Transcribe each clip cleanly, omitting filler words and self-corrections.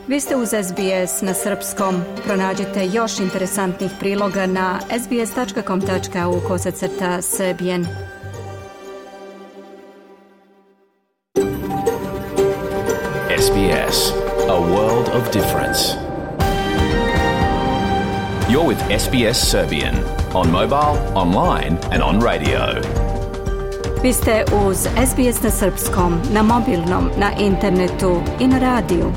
Vi ste uz SBS na srpskom. Pronađite još interesantnih priloga na sbs.com.au/serbian. SBS, a world of difference. You're with SBS Serbian on mobile, online and on radio. Vi ste uz SBS na srpskom, na mobilnom, na internetu i na radiju.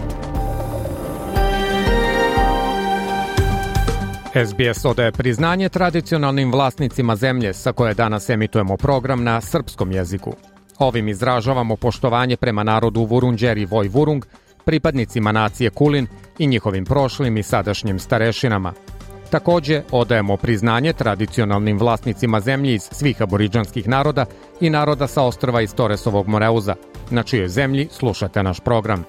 SBS odaje priznanje tradicionalnim vlasnicima zemlje sa koje danas emitujemo program na srpskom jeziku. Ovim izražavamo poštovanje prema narodu Vurundjeri Voj Vurung, pripadnicima nacije Kulin i njihovim prošlim i sadašnjim starešinama. Također odajemo priznanje tradicionalnim vlasnicima zemlji iz svih aboridžanskih naroda i naroda sa ostrva iz Toresovog Moreuza, na čijoj zemlji slušate naš program.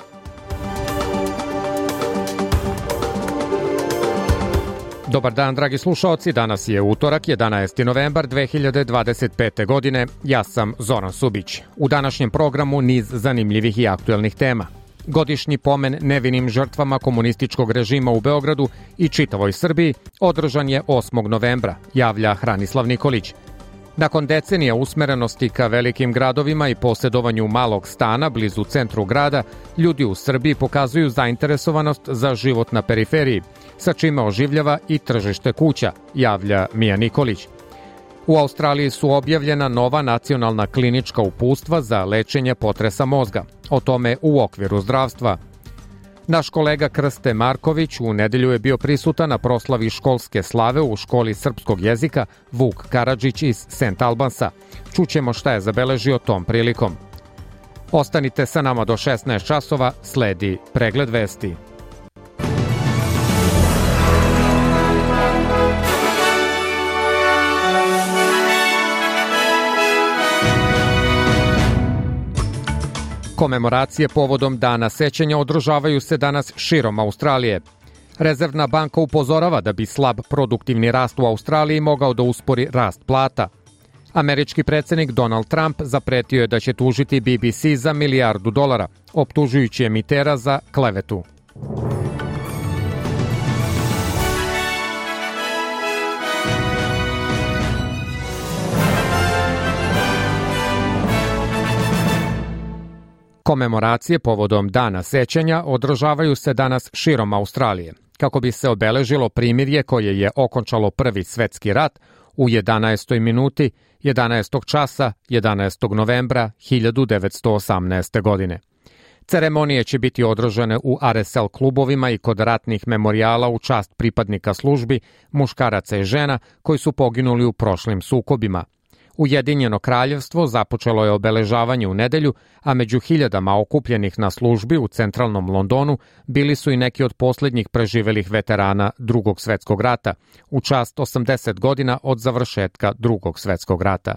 Dobar dan, dragi slušaoci, danas je utorak, 11. novembar 2025. godine. Ja sam Zoran Subić. U današnjem programu niz zanimljivih i aktuelnih tema. Godišnji pomen nevinim žrtvama komunističkog režima u Beogradu i čitavoj Srbiji održan je 8. novembra, javlja Hranislav Nikolić. Nakon decenija usmerenosti ka velikim gradovima i posjedovanju malog stana blizu centru grada, ljudi u Srbiji pokazuju zainteresovanost za život na periferiji, sa čime oživljava i tržište kuća, javlja Mija Nikolić. U Australiji su objavljena nova nacionalna klinička uputstva za lečenje potresa mozga. O tome u okviru zdravstva. Naš kolega Krste Marković u nedelju je bio prisutan na proslavi školske slave u školi srpskog jezika Vuk Karadžić iz St. Albansa. Čućemo šta je zabeležio tom prilikom. Ostanite sa nama do 16 časova, sledi pregled vesti. Komemoracije povodom Dana sećanja održavaju se danas širom Australije. Rezervna banka upozorava da bi slab produktivni rast u Australiji mogao da uspori rast plata. Američki predsjednik Donald Trump zapretio je da će tužiti BBC za $1 milijardu, optužujući emitera za klevetu. Komemoracije povodom Dana sećanja održavaju se danas širom Australije, kako bi se obeležilo primirje koje je okončalo Prvi svjetski rat u 11. minuti 11. časa 11. novembra 1918. godine. Ceremonije će biti održane u RSL klubovima i kod ratnih memorijala u čast pripadnika službi, muškaraca i žena koji su poginuli u prošlim sukobima. Ujedinjeno kraljevstvo započelo je obeležavanje u nedelju, a među hiljadama okupljenih na službi u centralnom Londonu bili su i neki od posljednjih preživelih veterana Drugog svjetskog rata, u čast 80 godina od završetka Drugog svjetskog rata.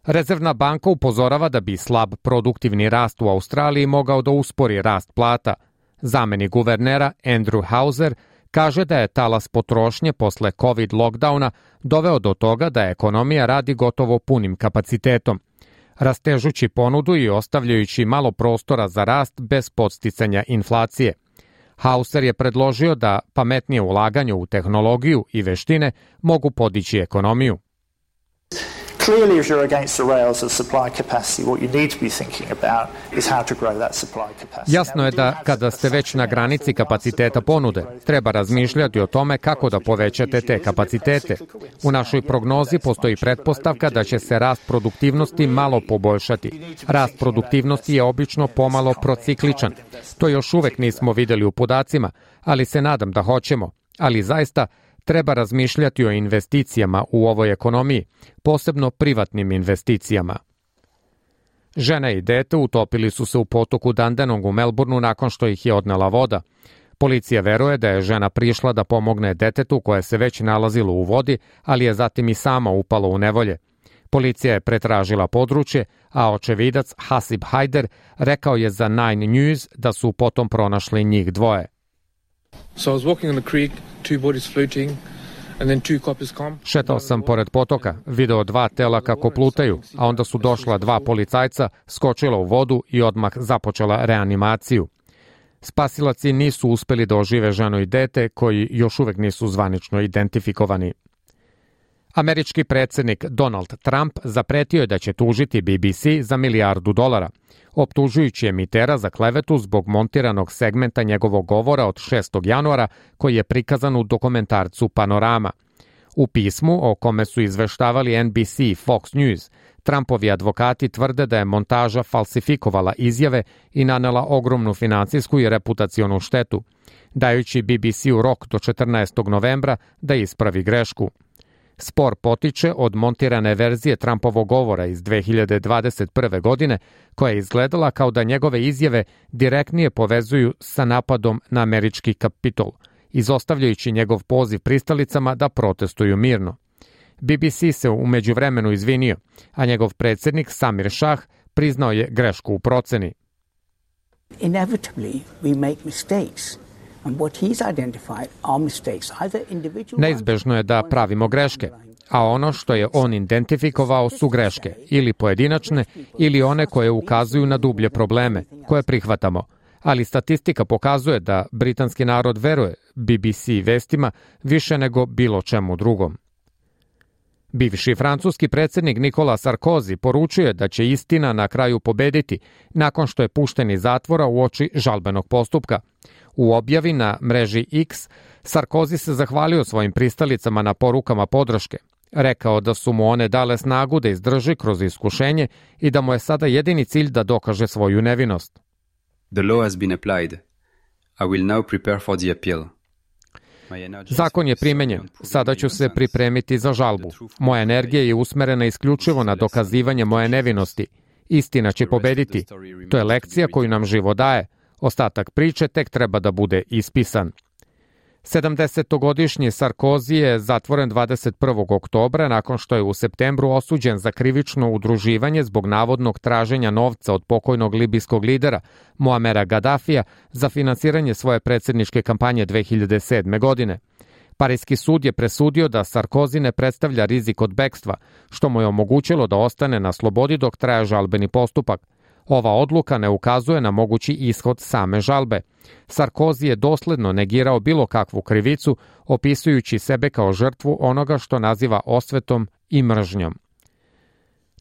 Rezervna banka upozorava da bi slab produktivni rast u Australiji mogao da uspori rast plata. Zamenik guvernera Andrew Hauser kaže da je talas potrošnje posle COVID lockdowna doveo do toga da ekonomija radi gotovo punim kapacitetom, rastežući ponudu i ostavljajući malo prostora za rast bez podsticanja inflacije. Hauser je predložio da pametnije ulaganje u tehnologiju i veštine mogu podići ekonomiju. Clearly, if you're against the rails of supply capacity, what you need to be thinking about is how to grow that supply capacity. Jasno je da kada ste već na granici kapaciteta ponude, treba razmišljati o tome kako da povećate te kapacitete. U našoj prognozi postoji pretpostavka da će se rast produktivnosti malo poboljšati. Rast produktivnosti je obično pomalo procikličan. To još uvek nismo vidjeli u podacima, ali se nadam da hoćemo. Ali zaista treba razmišljati o investicijama u ovoj ekonomiji, posebno privatnim investicijama. Žena i dete utopili su se u potoku Dandenong u Melbourneu nakon što ih je odnela voda. Policija veruje da je žena prišla da pomogne detetu koje se već nalazilo u vodi, ali je zatim i sama upala u nevolje. Policija je pretražila područje, a očevidac Hasib Haider rekao je za Nine News da su potom pronašli njih dvoje. So I was walking on the creek, two bodies floating, and then two coppers come. Šetao sam pored potoka, video 2 tela kako plutaju, a onda su došla 2 policajca, skočila u vodu i odmah započela reanimaciju. Spasilaci nisu uspeli da ožive ženu i dete, koji još uvek nisu zvanično identifikovani. Američki predsjednik Donald Trump zapretio je da će tužiti BBC za $1 milijardu, optužujući emitera za klevetu zbog montiranog segmenta njegovog govora od 6. januara koji je prikazan u dokumentarcu Panorama. U pismu, o kome su izveštavali NBC i Fox News, Trumpovi advokati tvrde da je montaža falsifikovala izjave i nanela ogromnu finansijsku i reputacionu štetu, dajući BBC-u rok do 14. novembra da ispravi grešku. Spor potiče od montirane verzije Trumpovog govora iz 2021. godine, koja je izgledala kao da njegove izjave direktnije povezuju sa napadom na američki Kapitol, izostavljajući njegov poziv pristalicama da protestuju mirno. BBC se u međuvremenu izvinio, a njegov predsjednik Samir Shah priznao je grešku u proceni. Inevitably we make mistakes. Neizbežno je da pravimo greške, a ono što je on identifikovao su greške, ili pojedinačne, ili one koje ukazuju na dublje probleme, koje prihvatamo. Ali statistika pokazuje da britanski narod veruje BBC vestima više nego bilo čemu drugom. Bivši francuski predsjednik Nicolas Sarkozy poručuje da će istina na kraju pobediti nakon što je pušten iz zatvora uoči žalbenog postupka. U objavi na mreži X, Sarkozy se zahvalio svojim pristalicama na porukama podrške. Rekao da su mu one dale snagu da izdrži kroz iskušenje i da mu je sada jedini cilj da dokaže svoju nevinost. The law has been applied. I will now prepare for the appeal. Zakon je primenjen. Sada ću se pripremiti za žalbu. Moja energija je usmerena isključivo na dokazivanje moje nevinosti. Istina će pobediti. To je lekcija koju nam život daje. Ostatak priče tek treba da bude ispisan. 70-godišnji Sarkozy je zatvoren 21. oktobra nakon što je u septembru osuđen za krivično udruživanje zbog navodnog traženja novca od pokojnog libijskog lidera Muamera Gaddafija za finansiranje svoje predsjedničke kampanje 2007. godine. Parijski sud je presudio da Sarkozy ne predstavlja rizik od bekstva, što mu je omogućilo da ostane na slobodi dok traje žalbeni postupak. Ova odluka ne ukazuje na mogući ishod same žalbe. Sarkozy je dosledno negirao bilo kakvu krivicu, opisujući sebe kao žrtvu onoga što naziva osvetom i mržnjom.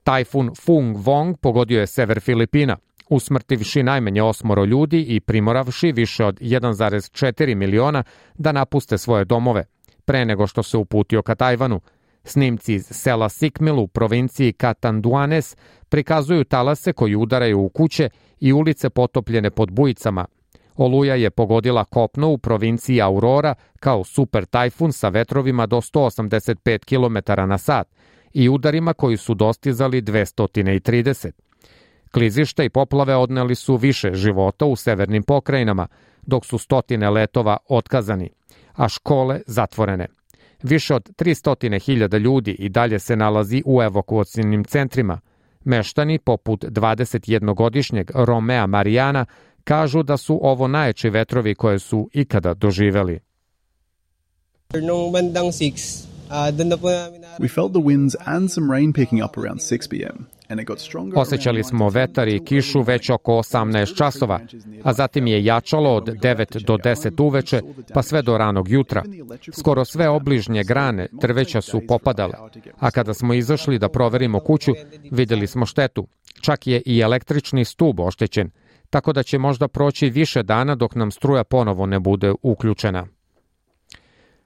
Tajfun Fung Vong pogodio je sever Filipina, usmrtivši najmanje 8 ljudi i primoravši više od 1,4 miliona da napuste svoje domove, pre nego što se uputio ka Tajvanu. Snimci iz sela Sikmil u provinciji Catanduanes prikazuju talase koji udaraju u kuće i ulice potopljene pod bujicama. Oluja je pogodila kopno u provinciji Aurora kao super tajfun sa vetrovima do 185 km na sat i udarima koji su dostizali 230. Klizišta i poplave odneli su više života u severnim pokrajinama, dok su stotine letova otkazani, a škole zatvorene. Više od 300.000 ljudi i dalje se nalazi u evakuacijnim centrima. Meštani, poput 21-godišnjeg Romea Marijana, kažu da su ovo najjači vetrovi koje su ikada doživeli. We felt the winds and some rain picking up around 6 p.m. Osjećali smo vetar i kišu već oko 18 časova, a zatim je jačalo od 9 do 10 uveče, pa sve do ranog jutra. Skoro sve obližnje grane drveća su popadale, a kada smo izašli da proverimo kuću, vidjeli smo štetu. Čak je i električni stub oštećen, tako da će možda proći više dana dok nam struja ponovo ne bude uključena.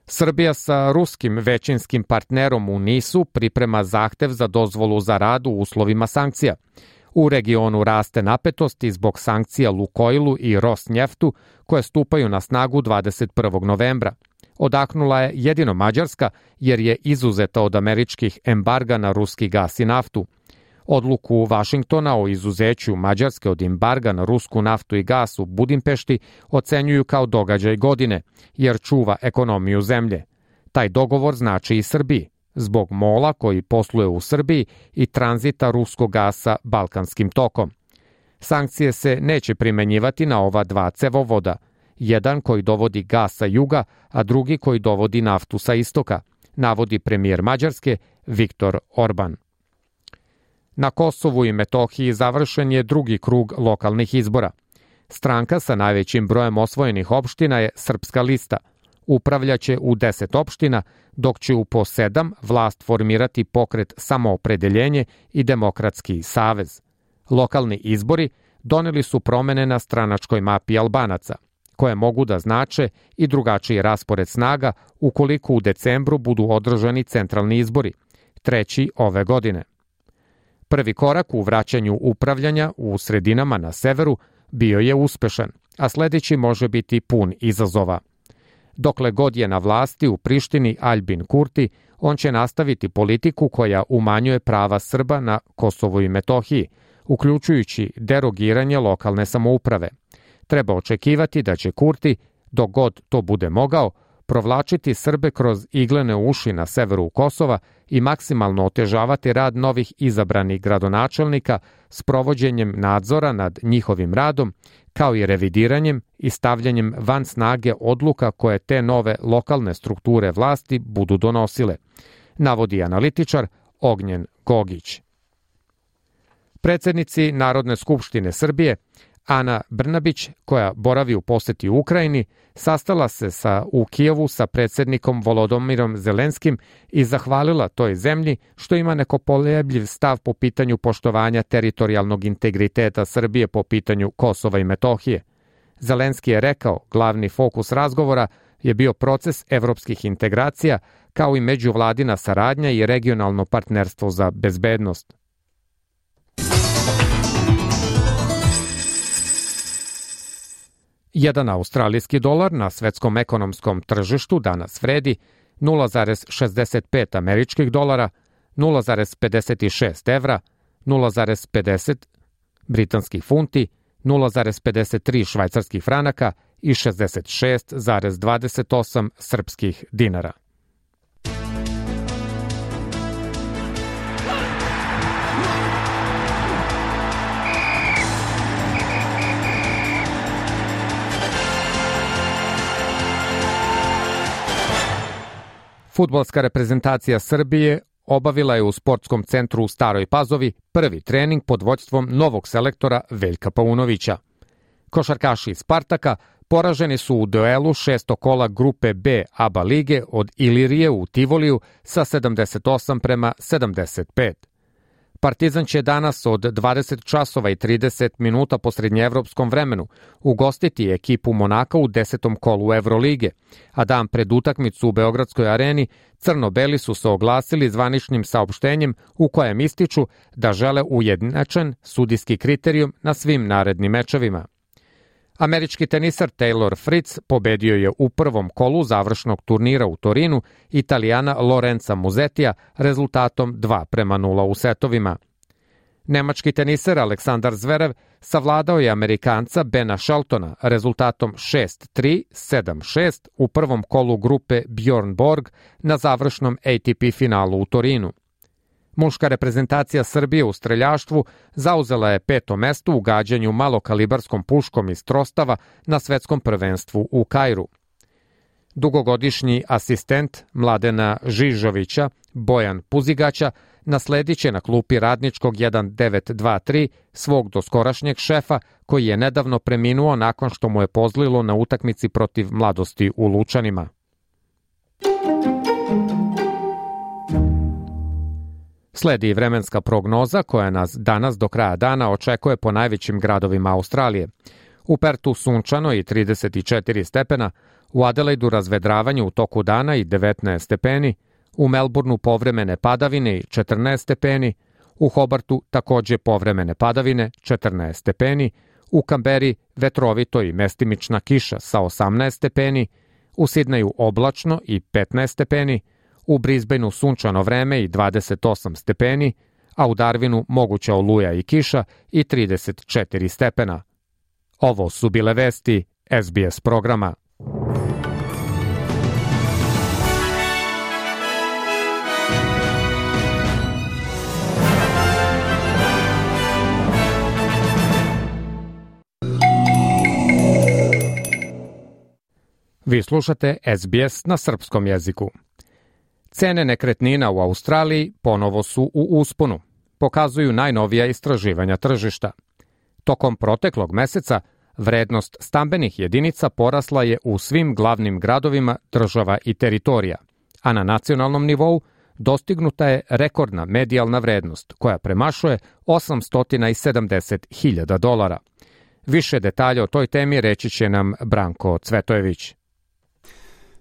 Srbija sa ruskim većinskim partnerom u NIS-u priprema zahtev za dozvolu za rad u uslovima sankcija. U regionu raste napetost zbog sankcija Lukoilu i Rosnjeftu koje stupaju na snagu 21. novembra. Odahnula je jedino Mađarska jer je izuzeta od američkih embarga na ruski gas i naftu. Odluku Vašingtona o izuzeću Mađarske od embarga na rusku naftu i gas u Budimpešti ocenjuju kao događaj godine, jer čuva ekonomiju zemlje. Taj dogovor znači i Srbiji, zbog MOL-a koji posluje u Srbiji i tranzita ruskog gasa Balkanskim tokom. Sankcije se neće primenjivati na ova dva cevovoda, jedan koji dovodi gas sa juga, a drugi koji dovodi naftu sa istoka, navodi premijer Mađarske Viktor Orban. Na Kosovu i Metohiji završen je drugi krug lokalnih izbora. Stranka sa najvećim brojem osvojenih opština je Srpska lista. Upravljaće u 10 opština, dok će u po 7 vlast formirati Pokret Samoopredeljenje i Demokratski savez. Lokalni izbori doneli su promene na stranačkoj mapi Albanaca, koje mogu da znače i drugačiji raspored snaga ukoliko u decembru budu održani centralni izbori, 3. ove godine. Prvi korak u vraćanju upravljanja u sredinama na severu bio je uspešan, a sledeći može biti pun izazova. Dokle god je na vlasti u Prištini Aljbin Kurti, on će nastaviti politiku koja umanjuje prava Srba na Kosovu i Metohiji, uključujući derogiranje lokalne samouprave. Treba očekivati da će Kurti, dok god to bude mogao, provlačiti Srbe kroz iglene uši na severu Kosova i maksimalno otežavati rad novih izabranih gradonačelnika s provođenjem nadzora nad njihovim radom, kao i revidiranjem i stavljanjem van snage odluka koje te nove lokalne strukture vlasti budu donosile, navodi analitičar Ognjen Gogić. Predsednici Narodne skupštine Srbije Ana Brnabić, koja boravi u poseti u Ukrajini, sastala se u Kijevu sa predsednikom Volodomirom Zelenskim i zahvalila toj zemlji što ima nekopolebljiv stav po pitanju poštovanja teritorijalnog integriteta Srbije po pitanju Kosova i Metohije. Zelenski je rekao, glavni fokus razgovora je bio proces evropskih integracija, kao i međuvladina saradnja i regionalno partnerstvo za bezbednost. Jedan australijski dolar na svetskom ekonomskom tržištu danas vredi 0,65 američkih dolara, 0,56 evra, 0,50 britanskih funti, 0,53 švajcarskih franaka i 66,28 srpskih dinara. Fudbalska reprezentacija Srbije obavila je u sportskom centru u Staroj Pazovi prvi trening pod vođstvom novog selektora Veljka Paunovića. Košarkaši iz Spartaka poraženi su u duelu 6. kola grupe B ABA lige od Ilirije u Tivoliju sa 78-75. Partizan će danas od 20 časova i 30 minuta po srednjeevropskom vremenu ugostiti ekipu Monaka u 10. kolu Evrolige, a dan pred utakmicu u Beogradskoj areni crno-beli su se oglasili zvaničnim saopštenjem u kojem ističu da žele ujednačen sudijski kriterijum na svim narednim mečevima. Američki tenisar Taylor Fritz pobedio je u prvom kolu završnog turnira u Torinu Italijana Lorenza Musetija rezultatom 2:0 u setovima. Nemački tenisar Aleksandar Zverev savladao je Amerikanca Bena Sheltona rezultatom 6-3, 7-6 u prvom kolu grupe Bjorn Borg na završnom ATP finalu u Torinu. Muška reprezentacija Srbije u streljaštvu zauzela je 5. mesto u gađanju malokalibarskom puškom iz trostava na svetskom prvenstvu u Kairu. Dugogodišnji asistent Mladena Žižovića, Bojan Puzigaća, nasledit će na klupi radničkog 1923 svog doskorašnjeg šefa koji je nedavno preminuo nakon što mu je pozlilo na utakmici protiv Mladosti u Lučanima. Sledi vremenska prognoza koja nas danas do kraja dana očekuje po najvećim gradovima Australije. U Pertu sunčano i 34 stepena, u Adelaidu razvedravanje u toku dana i 19 stepeni, u Melbourneu povremene padavine i 14 stepeni, u Hobartu takođe povremene padavine 14 stepeni, u Kamberi vetrovito i mestimična kiša sa 18 stepeni, u Sidneju oblačno i 15 stepeni, u Brisbaneu sunčano vreme i 28 stepeni, a u Darwinu moguća oluja i kiša i 34 stepena. Ovo su bile vesti SBS programa. Vi slušate SBS na srpskom jeziku. Cene nekretnina u Australiji ponovo su u usponu, pokazuju najnovija istraživanja tržišta. Tokom proteklog meseca Vrednost stambenih jedinica porasla je u svim glavnim gradovima država i teritorija, a na nacionalnom nivou dostignuta je rekordna medijalna vrednost koja premašuje $870.000. Više detalja o toj temi reći će nam Branko Cvetojević.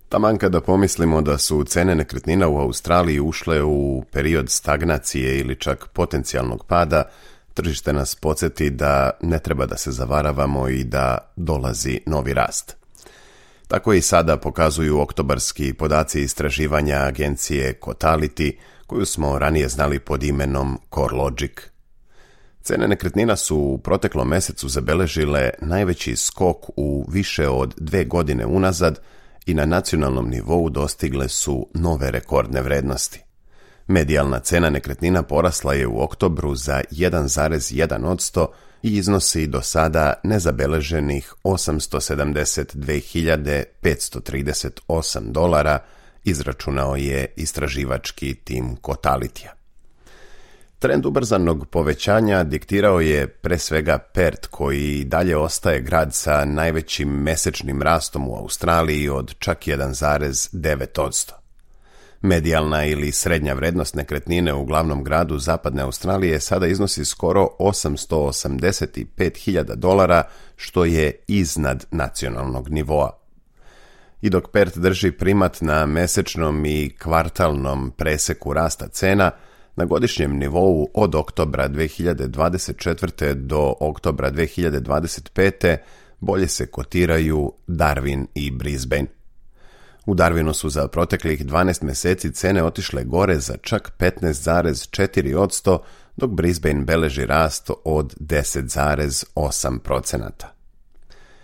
Taman kada pomislimo da su cene nekretnina u Australiji ušle u period stagnacije ili čak potencijalnog pada, tržište nas podsjeti da ne treba da se zavaravamo i da dolazi novi rast. Tako i sada pokazuju oktobarski podaci istraživanja agencije Cotality, koju smo ranije znali pod imenom CoreLogic. Cene nekretnina su u proteklom mesecu zabeležile najveći skok u više od 2 godine unazad i na nacionalnom nivou dostigle su nove rekordne vrednosti. Medijalna cena nekretnina porasla je u oktobru za 1,1% i iznosi do sada nezabeleženih $872.538, izračunao je istraživački tim Cotalityja. Trend ubrzanog povećanja diktirao je pre svega Perth, koji dalje ostaje grad sa najvećim mesečnim rastom u Australiji od čak 1,9%. Medijalna ili srednja vrednost nekretnine u glavnom gradu zapadne Australije sada iznosi skoro $885.000, što je iznad nacionalnog nivoa. I dok Perth drži primat na mesečnom i kvartalnom preseku rasta cena, na godišnjem nivou od oktobra 2024. do oktobra 2025. bolje se kotiraju Darwin i Brisbane. U Darwinu su za proteklih 12 meseci cene otišle gore za čak 15,4%, dok Brisbane beleži rast od 10,8%.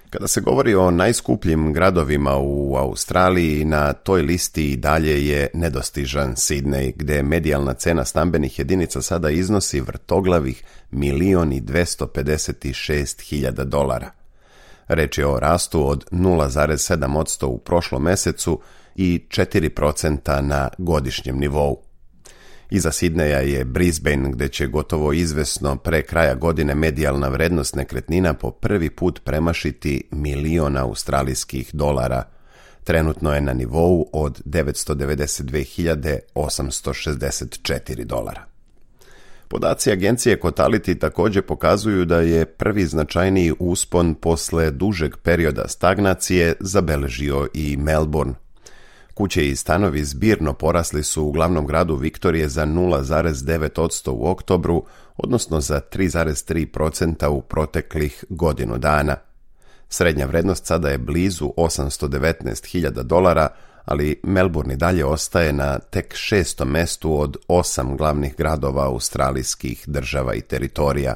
Kada se govori o najskupljim gradovima u Australiji, na toj listi i dalje je nedostižan Sydney, gde medijalna cena stambenih jedinica sada iznosi vrtoglavih $1.256.000. Reč je o rastu od 0,7% u prošlom mesecu i 4% na godišnjem nivou. Iza Sidneja je Brisbane, gde će gotovo izvesno pre kraja godine medijalna vrednost nekretnina po prvi put premašiti $1.000.000 australijskih dolara. Trenutno je na nivou od $992.864. Podaci agencije Cotality također pokazuju da je prvi značajniji uspon posle dužeg perioda stagnacije zabeležio i Melbourne. Kuće i stanovi zbirno porasli su u glavnom gradu Viktorije za 0,9% u oktobru, odnosno za 3,3% u proteklih godinu dana. Srednja vrednost sada je blizu $819.000, ali Melbourne i dalje ostaje na tek 6. mestu od 8 glavnih gradova australijskih država i teritorija.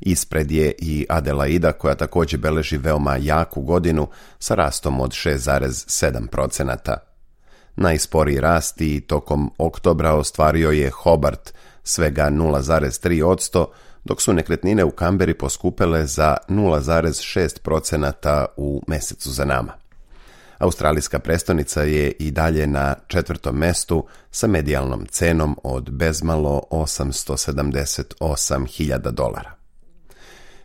Ispred je i Adelaida, koja također beleži veoma jaku godinu sa rastom od 6,7%. Najsporiji rast i tokom oktobra ostvario je Hobart, svega 0,3%, dok su nekretnine u Kamberi poskupele za 0,6% u mesecu za nama. Australijska prestonica je i dalje na 4. mestu sa medijalnom cenom od bezmalo $878.000.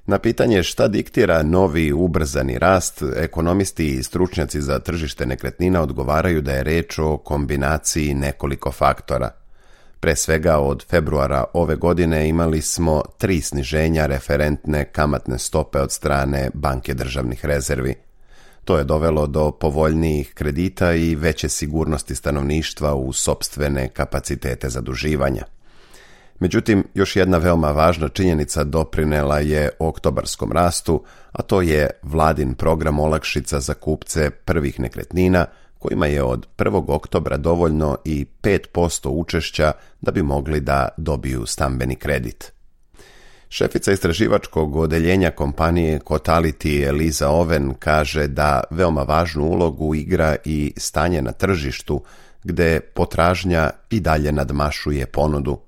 Na pitanje šta diktira novi ubrzani rast, ekonomisti i stručnjaci za tržište nekretnina odgovaraju da je reč o kombinaciji nekoliko faktora. Pre svega od februara ove godine imali smo 3 sniženja referentne kamatne stope od strane Banke državnih rezervi. To je dovelo do povoljnijih kredita i veće sigurnosti stanovništva u sopstvene kapacitete zaduživanja. Međutim, još jedna veoma važna činjenica doprinela je oktobarskom rastu, a to je vladin program olakšica za kupce prvih nekretnina, kojima je od 1. oktobra dovoljno i 5% učešća da bi mogli da dobiju stambeni kredit. Šefica istraživačkog odeljenja kompanije Cotality Eliza Owen kaže da veoma važnu ulogu igra i stanje na tržištu, gde potražnja i dalje nadmašuje ponudu.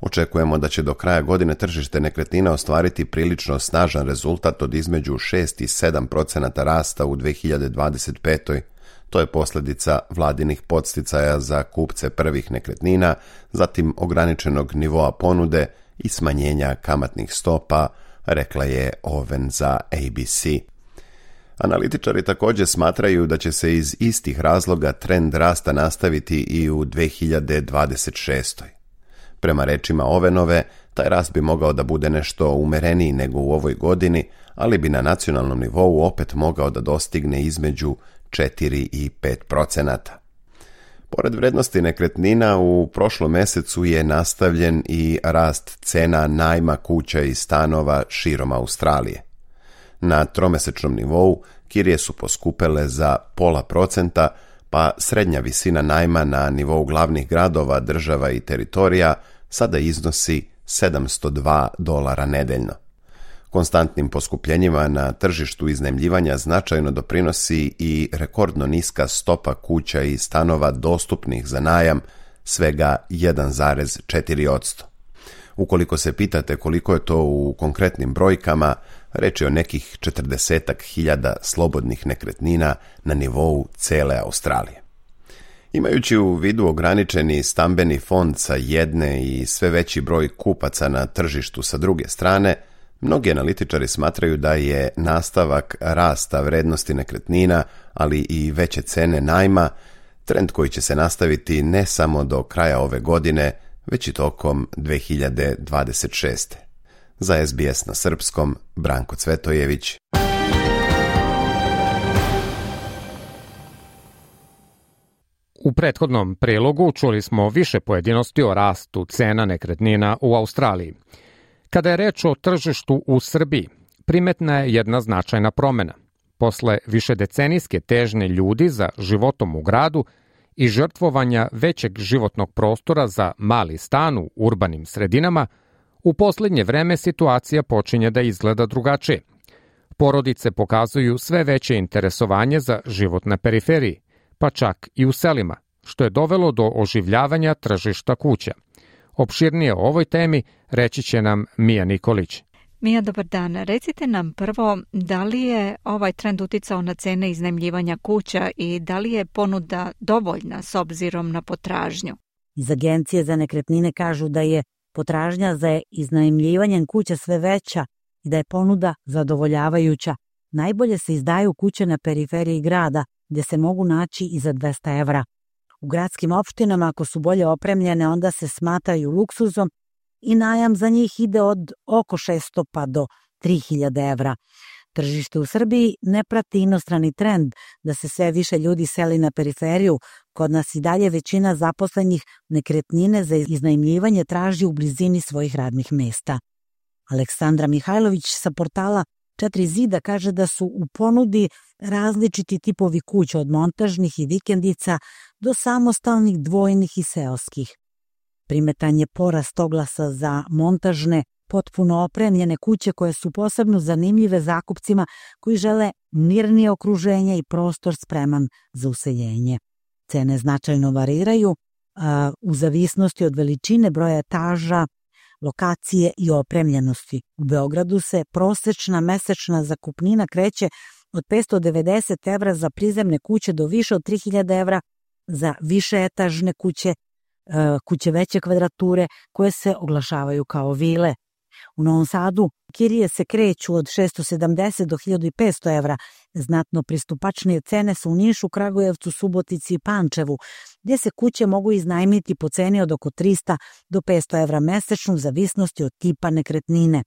Očekujemo da će do kraja godine tržište nekretnina ostvariti prilično snažan rezultat od između 6 i 7% rasta u 2025. To je posljedica vladinih podsticaja za kupce prvih nekretnina, zatim ograničenog nivoa ponude i smanjenja kamatnih stopa, rekla je Owen za ABC. Analitičari također smatraju da će se iz istih razloga trend rasta nastaviti i u 2026. Prema rečima Owenove, taj rast bi mogao da bude nešto umereniji nego u ovoj godini, ali bi na nacionalnom nivou opet mogao da dostigne između 4 i 5%. Pored vrednosti nekretnina, u prošlom mesecu je nastavljen i rast cena najma kuća i stanova širom Australije. Na tromesečnom nivou kirije su poskupele za 0,5%, pa srednja visina najma na nivou glavnih gradova, država i teritorija sada iznosi $702 nedeljno. Konstantnim poskupljenjima na tržištu iznajmljivanja značajno doprinosi i rekordno niska stopa kuća i stanova dostupnih za najam, svega 1,4%. Ukoliko se pitate koliko je to u konkretnim brojkama, reč je o nekih 40.000 slobodnih nekretnina na nivou cele Australije. Imajući u vidu ograničeni stambeni fond sa jedne i sve veći broj kupaca na tržištu sa druge strane, mnogi analitičari smatraju da je nastavak rasta vrednosti nekretnina, ali i veće cene najma, trend koji će se nastaviti ne samo do kraja ove godine, već i tokom 2026. Za SBS na srpskom, Branko Cvetojević. U prethodnom prilogu čuli smo više pojedinosti o rastu cena nekretnina u Australiji. Kada je reč o tržištu u Srbiji, primetna je jedna značajna promjena. Posle višedecenijske težnje ljudi za životom u gradu i žrtvovanja većeg životnog prostora za mali stan u urbanim sredinama, u posljednje vreme situacija počinje da izgleda drugačije. Porodice pokazuju sve veće interesovanje za život na periferiji, pa čak i u selima, što je dovelo do oživljavanja tržišta kuća. Opširnije o ovoj temi reći će nam Mija Nikolić. Mija, dobar dan. Recite nam prvo, da li je ovaj trend uticao na cene iznajmljivanja kuća i da li je ponuda dovoljna s obzirom na potražnju? Iz Agencije za nekretnine kažu da je potražnja za iznajmljivanjem kuća sve veća i da je ponuda zadovoljavajuća. Najbolje se izdaju kuće na periferiji grada, gdje se mogu naći i za €200. U gradskim opštinama, ako su bolje opremljene, onda se smatraju luksuzom i najam za njih ide od oko 600 pa do 3000 evra. Tržište u Srbiji ne prati inostrani trend da se sve više ljudi seli na periferiju. Kod nas i dalje većina zaposlenih nekretnine za iznajmljivanje traži u blizini svojih radnih mesta. Aleksandra Mihajlović sa portala 4 zida kaže da su u ponudi različiti tipovi kuća, od montažnih i vikendica do samostalnih, dvojnih i seoskih. Primetan je porast oglasa za montažne, potpuno opremljene kuće koje su posebno zanimljive zakupcima koji žele mirnije okruženje i prostor spreman za useljenje. Cene značajno variraju u zavisnosti od veličine, broja etaža, lokacije i opremljenosti. U Beogradu se prosečna mesečna zakupnina kreće od 590 evra za prizemne kuće do više od 3000 evra za višeetažne kuće, kuće veće kvadrature koje se oglašavaju kao vile. U Novom Sadu kirije se kreću od 670 do 1500 evra. Znatno pristupačnije cene su u Nišu, Kragujevcu, Subotici i Pančevu, gdje se kuće mogu iznajmiti po ceni od oko 300 do 500 evra mesečno u zavisnosti od tipa nekretnine.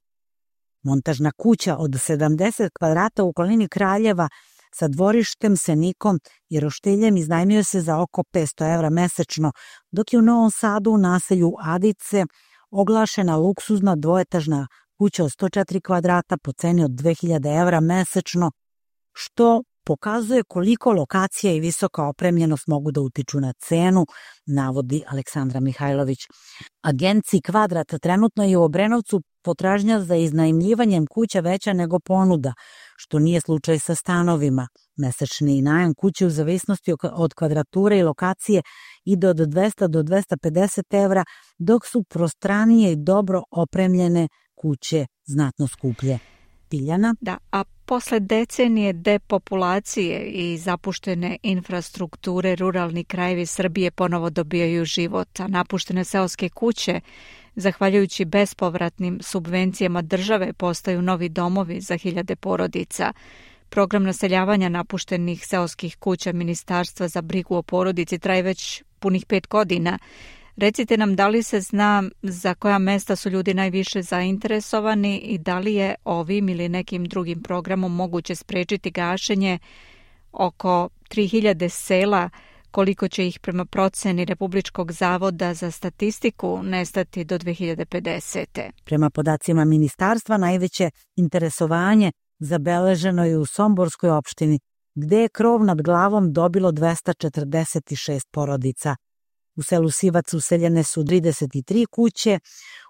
Montažna kuća od 70 kvadrata u okolini Kraljeva sa dvorištem, senikom i roštiljem iznajmljuje se za oko 500 evra mesečno, dok je u Novom Sadu u naselju Adice oglašena luksuzna dvoetažna kuća od 104 kvadrata po ceni od 2000 evra mesečno, što pokazuje koliko lokacija i visoka opremljenost mogu da utiču na cenu, navodi Aleksandra Mihajlović. Agenciji Kvadrat trenutno je u Obrenovcu potražnja za iznajmljivanjem kuća veća nego ponuda, što nije slučaj sa stanovima. Mesečni najam kuće u zavisnosti od kvadrature i lokacije ide od 200 do 250 evra, dok su prostranije i dobro opremljene kuće znatno skuplje. Tiljana? Da, a posle decenije depopulacije i zapuštene infrastrukture, ruralni krajevi Srbije ponovo dobijaju život, a napuštene seoske kuće Zahvaljujući bespovratnim subvencijama države postaju novi domovi za hiljade porodica. Program naseljavanja napuštenih seoskih kuća Ministarstva za brigu o porodici traje već punih 5 godina. Recite nam da li se zna za koja mesta su ljudi najviše zainteresovani i da li je ovim ili nekim drugim programom moguće sprečiti gašenje oko 3000 sela, koliko će ih prema proceni Republičkog zavoda za statistiku nestati do 2050. Prema podacima ministarstva, najveće interesovanje zabeleženo je u Somborskoj opštini, gde je krov nad glavom dobilo 246 porodica. U selu Sivac useljene su 33 kuće,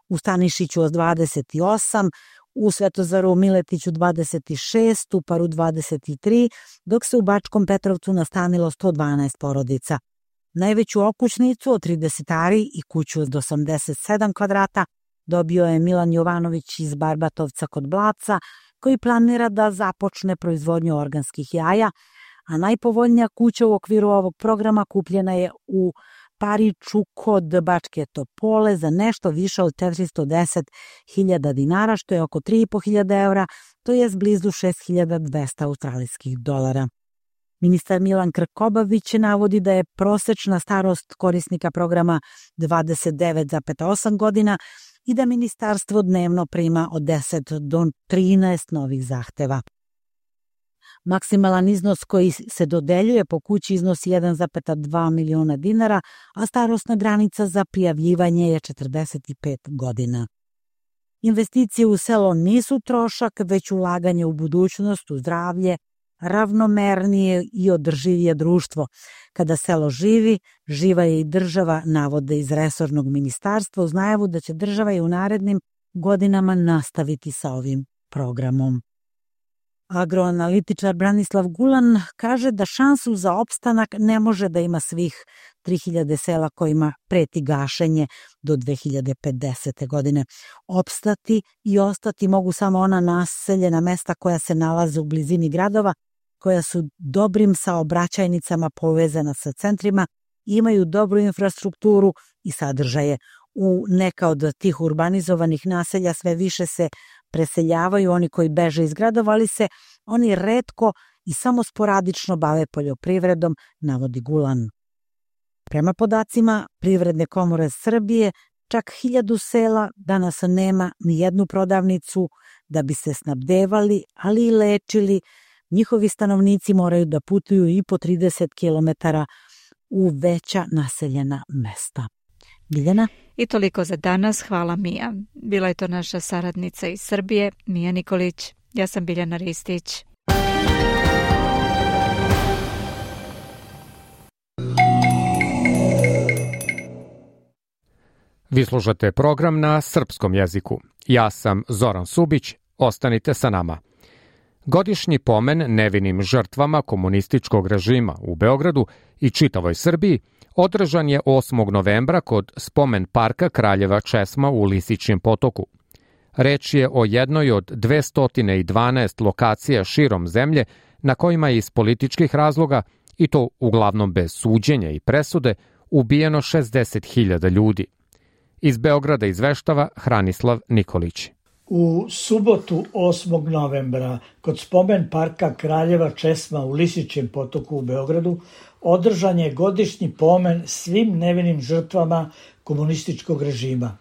u Stanišiću 28, u Svetozaru Miletiću 26, u Paru 23, dok se u Bačkom Petrovcu nastanilo 112 porodica. Najveću okućnicu od 30 ari i kuću od 87 kvadrata dobio je Milan Jovanović iz Barbatovca kod Blaca, koji planira da započne proizvodnju organskih jaja, a najpovoljnija kuća u okviru ovog programa kupljena je u Pariću kod Bačke Topole za nešto više od 410.000 dinara, što je oko 3.500 evra, to je blizu 6.200 australijskih dolara. Ministar Milan Krkobabić navodi da je prosečna starost korisnika programa 29,8 godina i da ministarstvo dnevno prima od 10 do 13 novih zahteva. Maksimalan iznos koji se dodeljuje po kući iznosi 1,2 miliona dinara, a starosna granica za prijavljivanje je 45 godina. Investicije u selo nisu trošak, već ulaganje u budućnost, u zdravlje, ravnomernije i održivije društvo. Kada selo živi, živa je i država, navode iz resornog ministarstva uz najavu da će država i u narednim godinama nastaviti sa ovim programom. Agroanalitičar Branislav Gulan kaže da šansu za opstanak ne može da ima svih 3000 sela kojima preti gašenje do 2050. godine. Opstati i ostati mogu samo ona naseljena mesta koja se nalaze u blizini gradova, koja su dobrim saobraćajnicama povezana sa centrima, imaju dobru infrastrukturu i sadržaje. U neka od tih urbanizovanih naselja sve više se preseljavaju oni koji beže iz gradova, ali se oni retko i samo sporadično bave poljoprivredom, navodi Gulan. Prema podacima Privredne komore Srbije, čak 1000 sela danas nema ni jednu prodavnicu da bi se snabdevali, ali i lečili. Njihovi stanovnici moraju da putuju i po 30 km u veća naseljena mesta. Biljana? I toliko za danas. Hvala Mija. Bila je to naša saradnica iz Srbije, Mija Nikolić. Ja sam Biljana Ristić. Vi slušate program na srpskom jeziku. Ja sam Zoran Subić. Ostanite sa nama. Godišnji pomen nevinim žrtvama komunističkog režima u Beogradu i čitavoj Srbiji održan je 8. novembra kod spomen parka Kraljeva Česma u Lisičijem potoku. Reč je o jednoj od 212 lokacija širom zemlje na kojima je iz političkih razloga, i to uglavnom bez suđenja i presude, ubijeno 60.000 ljudi. Iz Beograda izveštava Hranislav Nikolić. U subotu 8. novembra kod spomen parka Kraljeva Česma u Lisičijem potoku u Beogradu održan je godišnji pomen svim nevinim žrtvama komunističkog režima.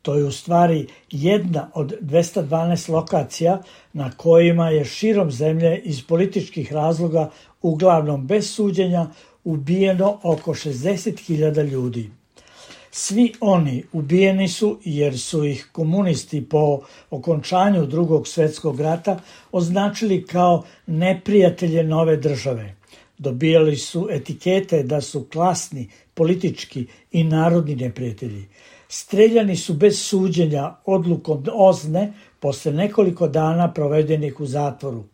To je u stvari jedna od 212 lokacija na kojima je širom zemlje iz političkih razloga, uglavnom bez suđenja, ubijeno oko 60.000 ljudi. Svi oni ubijeni su jer su ih komunisti po okončanju Drugog svjetskog rata označili kao neprijatelje nove države. Dobijali su etikete da su klasni, politički i narodni neprijatelji. Streljani su bez suđenja odlukom OZNE posle nekoliko dana provedenih u zatvoru.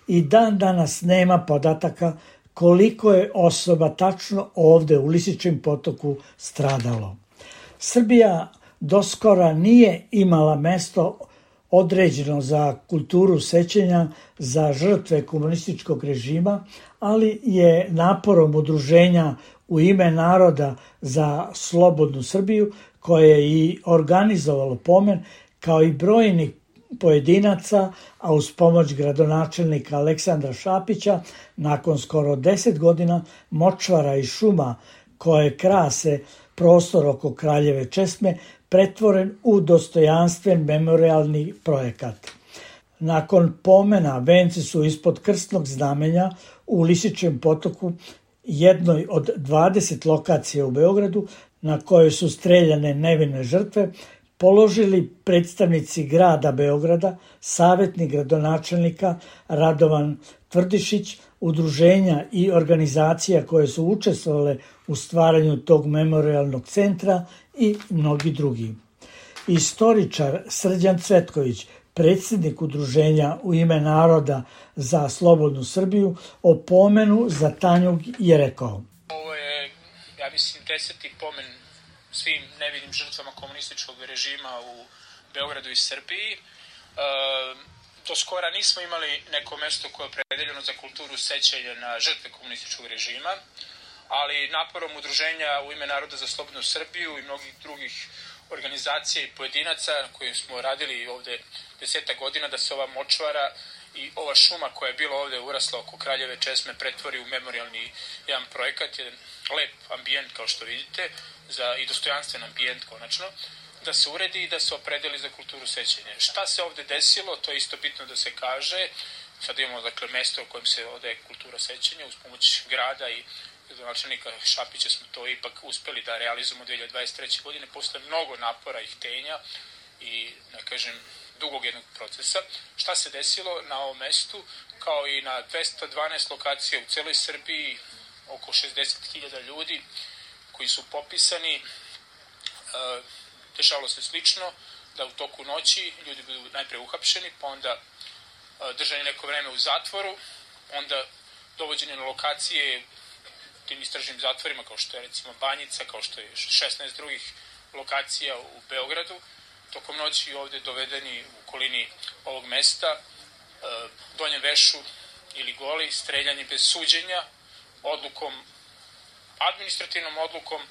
I dan danas nema podataka koliko je osoba tačno ovde u Lisičijem potoku stradalo. Srbija doskora nije imala mesto određeno za kulturu sećanja za žrtve komunističkog režima, ali je naporom udruženja u ime Naroda za slobodnu Srbiju, koje je i organizovalo pomen, kao i brojni pojedinaca, a uz pomoć gradonačelnika Aleksandra Šapića, nakon skoro 10 godina močvara i šuma koje krase prostor oko Kraljeve česme pretvoren u dostojanstven memorialni projekat. Nakon pomena venci su ispod krstnog znamenja u Lisičijem potoku, jednoj od 20 lokacija u Beogradu na kojoj su streljane nevine žrtve, položili predstavnici grada Beograda, savjetnik gradonačelnika Radovan Tvrdišić, udruženja i organizacija koje su učestvovale u stvaranju tog memorialnog centra i mnogi drugi. Istoričar Srđan Cvetković, predsjednik udruženja u ime Naroda za slobodnu Srbiju, o pomenu za Tanjug je rekao: Ovo je, ja mislim, 10. pomen svim nevinim žrtvama komunističkog režima u Beogradu i Srbiji. Do skora nismo imali neko mesto koje je opredeljeno za kulturu sećanja na žrtve komunističkog režima, ali naporom udruženja u ime Naroda za slobodnu Srbiju i mnogih drugih organizacija i pojedinaca kojim smo radili ovde 10 godina da se ova močvara i ova šuma koja je bila ovde urasla oko Kraljeve česme pretvori u memorialni jedan projekat, jedan lep ambijent kao što vidite, i dostojanstven ambijent konačno, da se uredi i da se opredeli za kulturu sećanja. Šta se ovde desilo, to je isto bitno da se kaže. Sad imamo dakle mesto u kojem se odaje kultura sećanja uz pomoć grada i gradonačelnika Šapića smo to ipak uspeli da realizujemo 2023. godine posle mnogo napora i htenja i, da kažem, dugog jednog procesa. Šta se desilo na ovom mestu, kao i na 212 lokacija u celoj Srbiji, oko 60.000 ljudi koji su popisani, dešavalo se slično, da u toku noći ljudi budu najpre uhapšeni, pa onda držani neko vreme u zatvoru, onda dovođeni na lokacije tim istražnim zatvorima, kao što je recimo Banjica, kao što je 16 drugih lokacija u Beogradu, tokom noći ovde dovedeni u okolini ovog mesta, donjem vešu ili goli, streljani bez suđenja, odlukom, administrativnom odlukom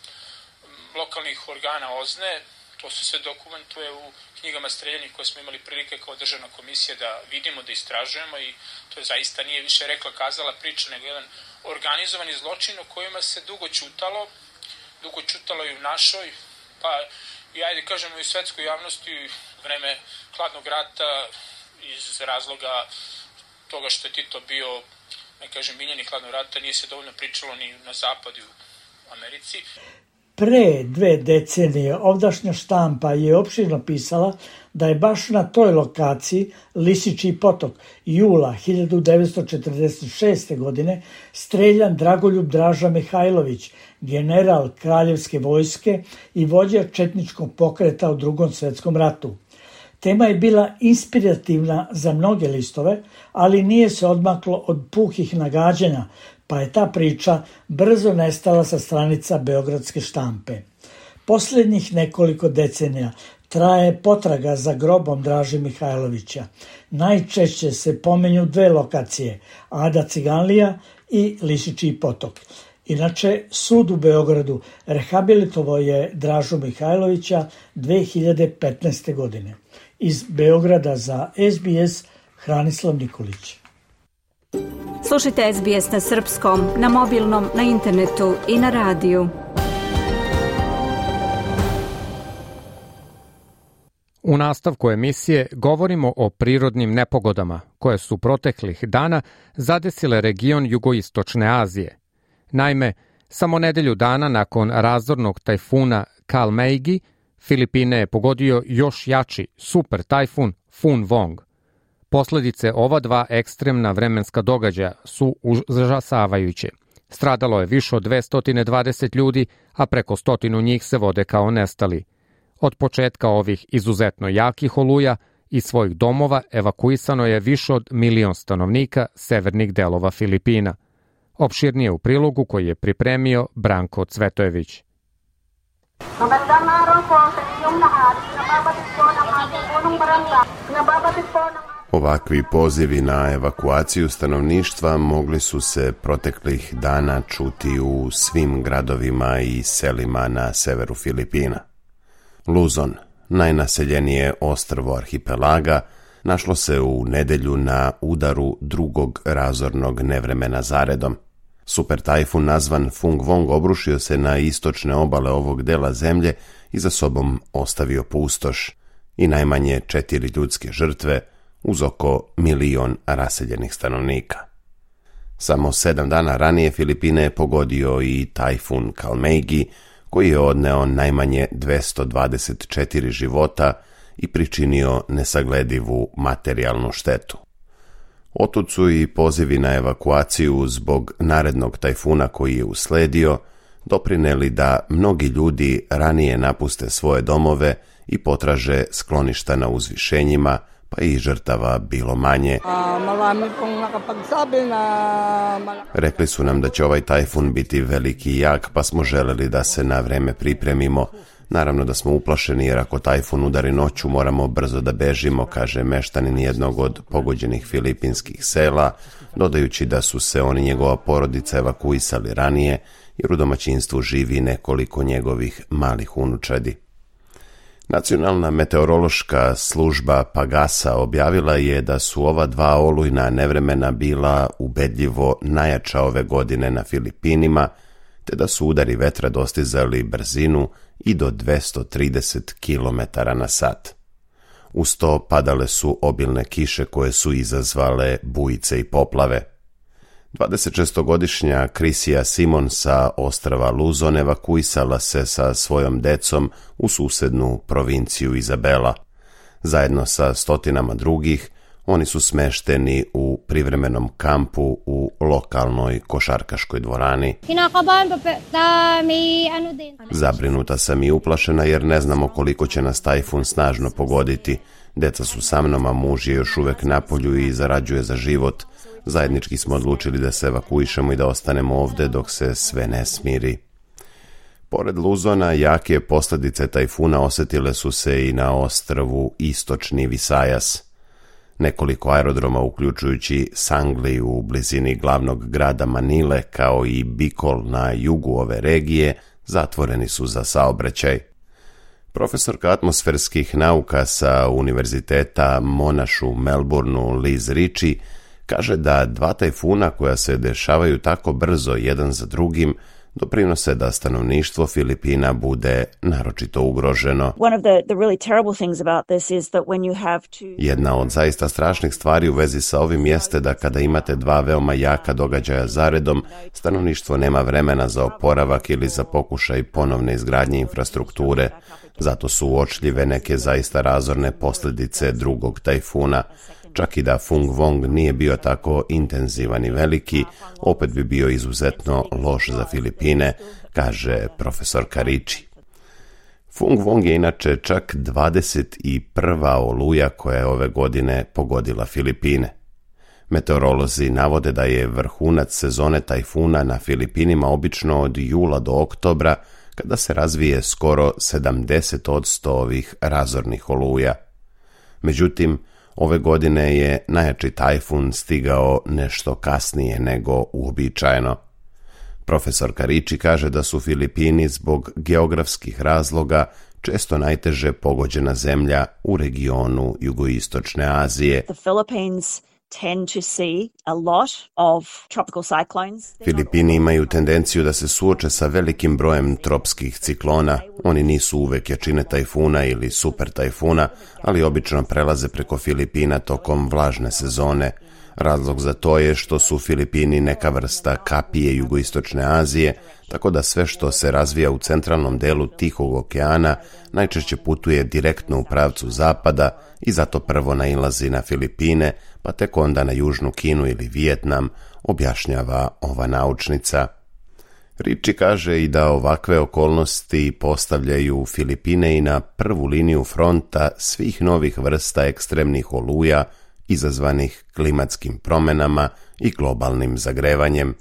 lokalnih organa OZNE. To se sve dokumentuje u knjigama streljanih koje smo imali prilike kao državna komisija da vidimo, da istražujemo, i to je zaista nije više rekla kazala priča, nego jedan organizovani zločin o kojima se dugo čutalo i u našoj, pa i ajde kažemo i u svetskoj javnosti u vreme hladnog rata, iz razloga toga što je Tito bio, ne kažem, miljeni hladnog rata, nije se dovoljno pričalo ni na zapadu u Americi. Pre 2 decenije ovdašnja štampa je opširno pisala da je baš na toj lokaciji Lisičiji potok jula 1946. godine streljan Dragoljub Draža Mihajlović, general kraljevske vojske i vođa četničkog pokreta u Drugom svetskom ratu. Tema je bila inspirativna za mnoge listove, ali nije se odmaklo od puhih nagađanja, pa je ta priča brzo nestala sa stranica beogradske štampe. Posljednjih nekoliko decenija traje potraga za grobom Draže Mihajlovića. Najčešće se pomenju 2 lokacije, Ada Ciganlija i Lisičiji potok. Inače, sud u Beogradu rehabilitovao je Dražu Mihajlovića 2015. godine. Iz Beograda za SBS Hranislav Nikolić. Slušajte SBS na srpskom, na mobilnom, na internetu i na radiju. U nastavku emisije govorimo o prirodnim nepogodama koje su proteklih dana zadesile region jugoistočne Azije. Naime, samo nedelju dana nakon razornog tajfuna Kalmeigi, Filipine je pogodio još jači super tajfun Fun Vong. Posledice ova 2 ekstremna vremenska događaja su užasavajuće. Stradalo je više od 220 ljudi, a preko 100 njih se vode kao nestali. Od početka ovih izuzetno jakih oluja iz svojih domova evakuisano je više od 1 milion stanovnika severnih delova Filipina. Opširnije u prilogu koji je pripremio Branko Cvetojević. Ovakvi pozivi na evakuaciju stanovništva mogli su se proteklih dana čuti u svim gradovima i selima na severu Filipina. Luzon, najnaseljenije ostrvo arhipelaga, našlo se u nedjelju na udaru drugog razornog nevremena zaredom. Super tajfun nazvan Fung Wong obrušio se na istočne obale ovog dela zemlje i za sobom ostavio pustoš i najmanje 4 ljudske žrtve uz oko 1 milion raseljenih stanovnika. Samo 7 dana ranije Filipine je pogodio i tajfun Kalmeigi, koji je odneo najmanje 224 života i pričinio nesagledivu materijalnu štetu. Otud su i pozivi na evakuaciju zbog narednog tajfuna koji je usledio doprineli da mnogi ljudi ranije napuste svoje domove i potraže skloništa na uzvišenjima, pa i žrtava bilo manje. Rekli su nam da će ovaj tajfun biti veliki i jak, pa smo želeli da se na vreme pripremimo. Naravno da smo uplašeni jer ako tajfun udari noću moramo brzo da bežimo, kaže meštanin jednog od pogođenih filipinskih sela, dodajući da su se on i njegova porodica evakuisali ranije jer u domaćinstvu živi nekoliko njegovih malih unučadi. Nacionalna meteorološka služba Pagasa objavila je da su ova 2 olujna nevremena bila ubedljivo najjača ove godine na Filipinima, te da su udari vetra dostizali brzinu i do 230 km na sat. Uz to padale su obilne kiše koje su izazvale bujice i poplave. 26-godišnja Krisija Simon sa ostrva Luzon evakuisala se sa svojom decom u susednu provinciju Izabela. Zajedno sa stotinama drugih, oni su smešteni u privremenom kampu u lokalnoj košarkaškoj dvorani. Zabrinuta sam i uplašena jer ne znamo koliko će nas tajfun snažno pogoditi. Deca su sa mnom, a muž je još uvek napolju i zarađuje za život. Zajednički smo odlučili da se evakuišemo i da ostanemo ovde dok se sve ne smiri. Pored Luzona, jake posljedice tajfuna osjetile su se i na ostrvu Istočni Visajas. Nekoliko aerodroma, uključujući Sangli u blizini glavnog grada Manile, kao i Bicol na jugu ove regije, zatvoreni su za saobraćaj. Profesorka atmosferskih nauka sa Univerziteta Monash u Melbourneu, Liz Ritchie, kaže da 2 tajfuna koja se dešavaju tako brzo jedan za drugim doprinose da stanovništvo Filipina bude naročito ugroženo. Jedna od zaista strašnih stvari u vezi sa ovim jeste da kada imate 2 veoma jaka događaja zaredom, stanovništvo nema vremena za oporavak ili za pokušaj ponovne izgradnje infrastrukture. Zato su uočljive neke zaista razorne posljedice drugog tajfuna. Čak i da Fung Wong nije bio tako intenzivan i veliki, opet bi bio izuzetno loš za Filipine, kaže profesorka Ritchie. Fung Wong je inače čak 21. oluja koja je ove godine pogodila Filipine. Meteorolozi navode da je vrhunac sezone tajfuna na Filipinima obično od jula do oktobra, kada se razvije skoro 70% ovih razornih oluja. Međutim, ove godine je najjači tajfun stigao nešto kasnije nego uobičajeno. Profesorka Ritchie kaže da su Filipini zbog geografskih razloga često najteže pogođena zemlja u regionu jugoistočne Azije. Filipini imaju tendenciju da se suoče sa velikim brojem tropskih ciklona. Oni nisu uvek jačine tajfuna ili super tajfuna, ali obično prelaze preko Filipina tokom vlažne sezone. Razlog za to je što su Filipini neka vrsta kapije jugoistočne Azije, tako da sve što se razvija u centralnom delu Tihog okeana najčešće putuje direktno u pravcu zapada i zato prvo nailazi na Filipine, pa tek onda na Južnu Kinu ili Vijetnam, objašnjava ova naučnica. Ritchie kaže i da ovakve okolnosti postavljaju Filipine i na prvu liniju fronta svih novih vrsta ekstremnih oluja izazvanih klimatskim promjenama i globalnim zagrevanjem.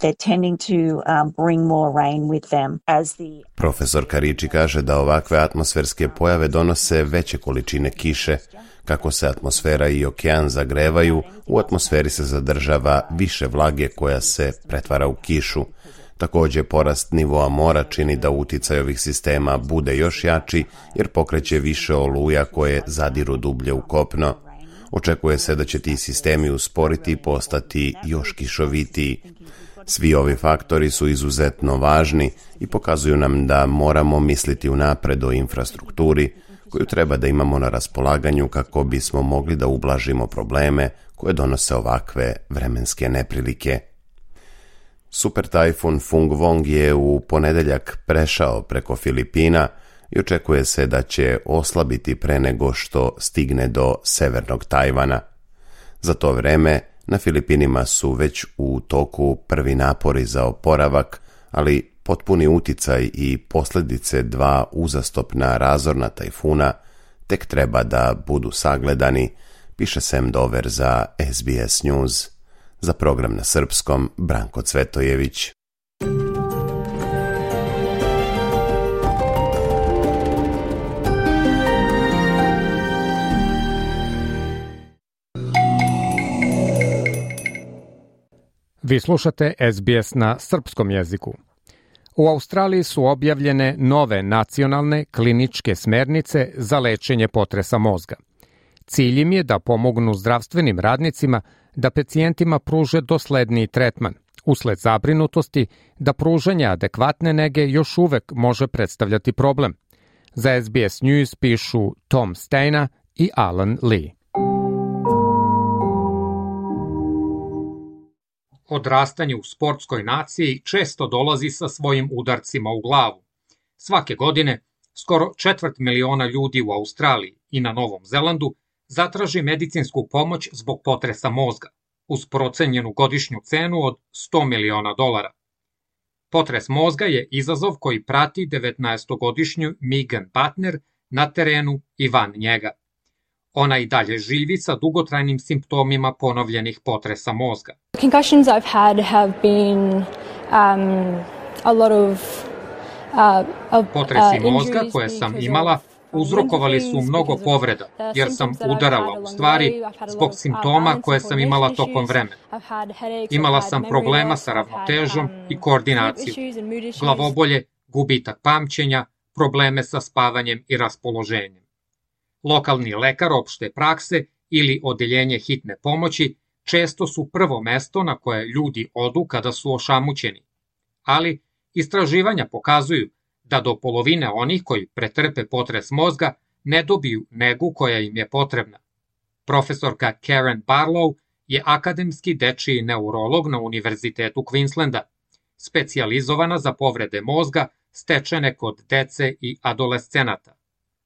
Profesorka Ritchie kaže da ovakve atmosferske pojave donose veće količine kiše, Kako se atmosfera i okean zagrevaju, u atmosferi se zadržava više vlage koja se pretvara u kišu. Također, porast nivoa mora čini da uticaj ovih sistema bude još jači jer pokreće više oluja koje zadiru dublje u kopno. Očekuje se da će ti sistemi usporiti i postati još kišovitiji. Svi ovi faktori su izuzetno važni i pokazuju nam da moramo misliti unapred o infrastrukturi koju treba da imamo na raspolaganju kako bismo mogli da ublažimo probleme koje donose ovakve vremenske neprilike. Super tajfun Fung Wong je u ponedeljak prešao preko Filipina i očekuje se da će oslabiti pre nego što stigne do severnog Tajvana. Za to vreme na Filipinima su već u toku prvi napori za oporavak, ali potpuni uticaj i posljedice dva uzastopna razorna tajfuna tek treba da budu sagledani, piše Sam Dover za SBS News. Za program na srpskom, Branko Cvetojević. Vi slušate SBS na srpskom jeziku. U Australiji su objavljene nove nacionalne kliničke smernice za lečenje potresa mozga. Cilj im je da pomognu zdravstvenim radnicima da pacijentima pruže dosledniji tretman, usled zabrinutosti da pružanje adekvatne nege još uvek može predstavljati problem. Za SBS News pišu Tom Steina i Alan Lee. Odrastanje u sportskoj naciji često dolazi sa svojim udarcima u glavu. Svake godine, skoro 250.000 ljudi u Australiji i na Novom Zelandu zatraži medicinsku pomoć zbog potresa mozga, uz procenjenu godišnju cenu od $100 miliona. Potres mozga je izazov koji prati 19-godišnju Megan Butner na terenu i van njega. Ona i dalje živi sa dugotrajnim simptomima ponovljenih potresa mozga. Concussions I've had have been a lot of Potresi mozga koje sam imala uzrokovali su mnogo povreda, jer sam udarala u stvari zbog simptoma koje sam imala tokom vremena. Imala sam problema sa ravnotežom i koordinacijom, glavobolje, gubitak pamćenja, probleme sa spavanjem i raspoloženjem. Lokalni lekar opšte prakse ili odeljenje hitne pomoći često su prvo mesto na koje ljudi odu kada su ošamućeni. Ali istraživanja pokazuju da do polovine onih koji pretrpe potres mozga ne dobiju negu koja im je potrebna. Profesorka Karen Barlow je akademski dečiji neurolog na Univerzitetu Queenslanda, specijalizovana za povrede mozga stečene kod dece i adolescenata.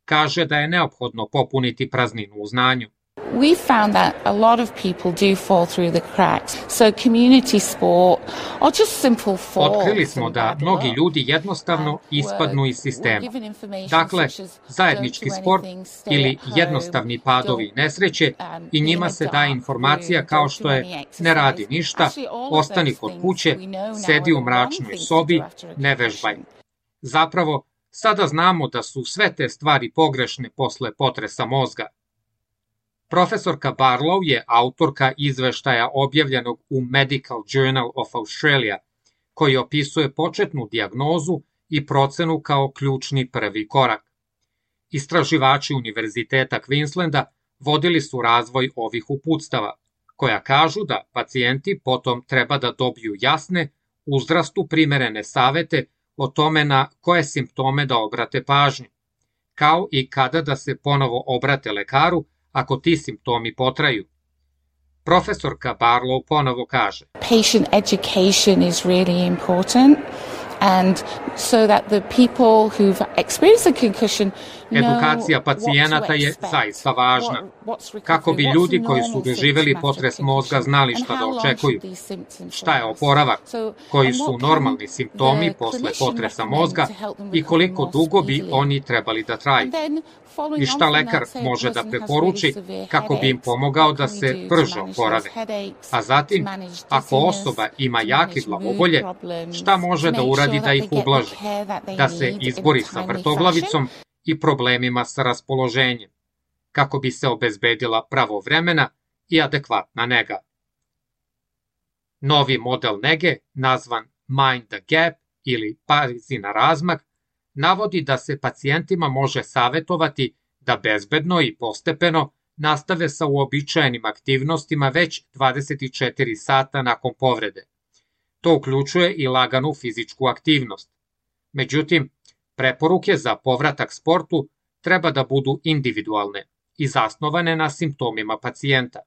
Kaže da je neophodno popuniti prazninu u znanju. We found that a lot of people do fall through the cracks. So community sport or just simple falls. Otkrili smo da mnogi ljudi jednostavno ispadnu iz sistema. Dakle, zajednički sport ili jednostavni padovi nesreće i njima se daje informacija kao što je ne radi ništa, ostani kod kuće, sedi u mračnoj sobi, ne vežbaj. Zapravo, sada znamo da su sve te stvari pogrešne posle potresa mozga. Profesorka Barlow je autorka izveštaja objavljenog u Medical Journal of Australia, koji opisuje početnu dijagnozu i procenu kao ključni prvi korak. Istraživači Univerziteta Queenslanda vodili su razvoj ovih uputstava, koja kažu da pacijenti potom treba da dobiju jasne, uzrastu primerene savete o tome na koje simptome da obrate pažnju, kao i kada da se ponovo obrate lekaru ako ti simptomi potraju. Profesorka Barlow ponovo kaže: Patient education is really important. And so that the people who've experienced a concussion Edukacija pacijenata je zaista važna, kako bi ljudi koji su doživeli potres mozga znali šta da očekuju, šta je oporavak, koji su normalni simptomi posle potresa mozga i koliko dugo bi oni trebali da traju. I šta lekar može da preporuči kako bi im pomogao da se brže oporave. A zatim, ako osoba ima jake glavobolje, šta može da uradi da ih ublaži, da se izbori sa vrtoglavicom i problemima sa raspoloženjem. kako bi se obezbedila pravovremena i adekvatna nega. Novi model nege, nazvan Mind the Gap ili Pazi na razmak, navodi da se pacijentima može savetovati da bezbedno i postepeno nastave sa uobičajenim aktivnostima već 24 sata nakon povrede. To uključuje i laganu fizičku aktivnost. Međutim, preporuke za povratak sportu treba da budu individualne i zasnovane na simptomima pacijenta.